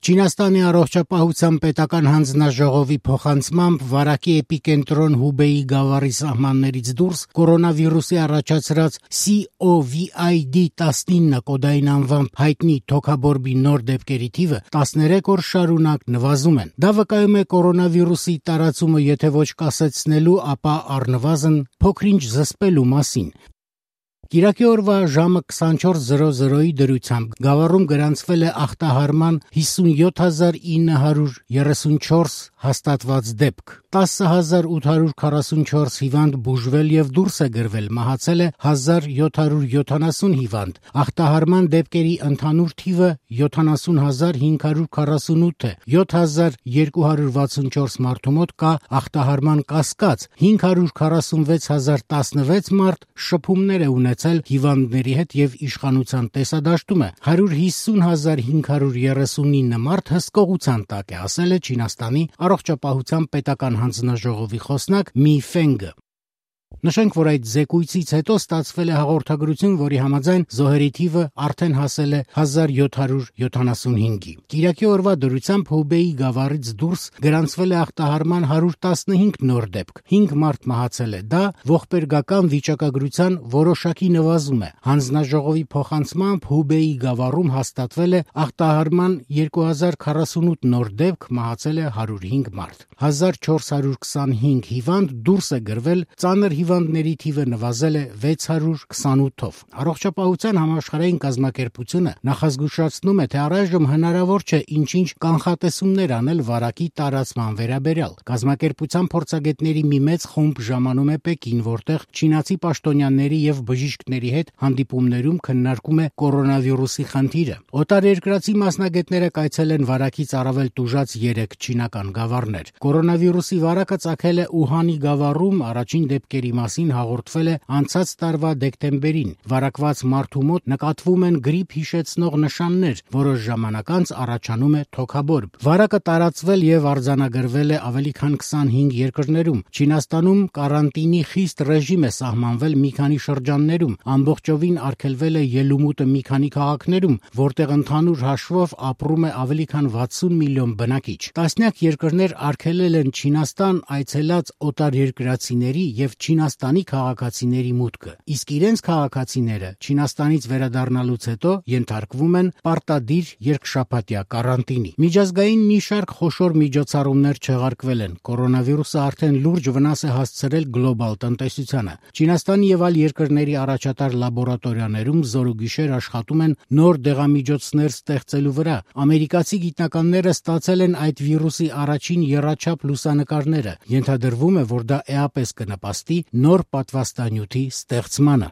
Չինաստանի առողջապահության պետական հանձնաժողովի փոխանցմամբ վարակի էպիկենտրոն Հուբեյի գավառի սահմաններից դուրս կորոնավիրուսի առաջացրած COVID-19 կոդային անվամբ հայտնի թոքաբորբի նոր դեպքերի թիվը 13 օր շարունակ նվազում են։ Դա վկայում է կորոնավիրուսի տարածումը եթե ոչ կասեցնելու, ապա առնվազն փոքրինչ զսպելու մասին։ Կիրակի օրվա ժամը 24:00-ի դրությամբ գավառում գրանցվել է ախտահարման 57934 հաստատված դեպք։ 10844 հիվանդ բուժվել եւ դուրս է գրվել, մահացել է 1770 հիվանդ։ Ախտահարման դեպքերի ընդհանուր թիվը 70548 է։ 7264 մարդու մոտ կա ախտահարման կասկած, 546016 մարդ շփումներ է ունեցել հիվանդների հետ եւ իշխանության տեսադաշտում է։ 150539 մարդ հսկողության տակ է, ասել է Չինաստանի առողջապահության պետական հանձնաժողովի խոսնակ Մի Ֆենգը։ Նշենք, որ այդ զեկույցից հետո ստացվել է հաղորդագրություն, որի համաձայն զոհերի թիվը արդեն հասել է 1775-ի։ Կիրակի օրվա դրությամբ Հուբեյի գավառից դուրս գրանցվել է ախտահարման 115 նոր դեպք, 5 մարդ մահացել է։ Դա ողբերգական վիճակագրության որոշակի նվազում է։ Հանձնաժողովի փոխանցմամբ Հուբեյի գավառում հաստատվել է ախտահարման 2048 նոր դեպք, մահացել է 105 մարդ։ 1425 հիվանդ դուրս է գրվել, ծանր հիվանդների թիվը նվազել է 628-ով։ Առողջապահության համաշխարհային կազմակերպությունը նախազգուշացնում է, թե առայժմ հնարավոր չէ ինչ-ինչ կանխատեսումներ անել վարակի տարածման վերաբերյալ։ Կազմակերպության փորձագետների մի մեծ խումբ ժամանում է Պեկին, որտեղ չինացի պաշտոնյաների եւ բժիշկների հետ հանդիպումներում քննարկում է կորոնավիրուսի խնդիրը։ Օտարերկրացի մասնագետները կայցել են վարակից առավել տուժած 3 չինական գավառներ։ Կորոնավիրուսի վարակը ծագել է Ուհանի գավառում, առաջին դեպքերի մասին հաղորդվել է անցած տարվա դեկտեմբերին։ Վարակված մարդու մոտ նկատվում են գրիպ հիշեցնող նշաններ, որոշ ժամանակ անց առաջանում է թոքաբորբ։ Վարակը տարածվել եւ արձանագրվել է ավելի քան 25 երկրներում։ Չինաստանում կարանտինի խիստ ռեժիմ է սահմանվել մի քանի շրջաններում, ամբողջովին արգելվել է ելումուտը մի քանի քաղաքներում, որտեղ ընդհանուր հաշվով ապրում է ավելի քան 60 միլիոն բնակիչ։ Տասնյակ երկրներ արգելել են Չինաստան այցելած օտարերկրացիների եւ Չինաստանի քաղաքացիների մուտքը, իսկ իրենց քաղաքացիները Չինաստանից վերադառնալուց հետո ենթարկվում են պարտադիր երկշաբաթյա կարանտինի։ Միջազգային մի շարք խոշոր միջոցառումներ չեղարկվել են։ Կորոնավիրուսը արդեն լուրջ վնաս է հասցրել գլոբալ տնտեսությանը։ Չինաստանի եւ այլ երկրների առաջատար լաբորատորիաներում զորուգիշեր աշխատում են նոր դեղամիջոցներ ստեղծելու վրա։ Ամերիկացի գիտնականները ստացել են այդ վիրուսի առաջին եռաչափ լուսանկարները։ Ենթադրվում է, որ դա էապես կնպաստի նոր պատվաստանյութի ստեղծմանը։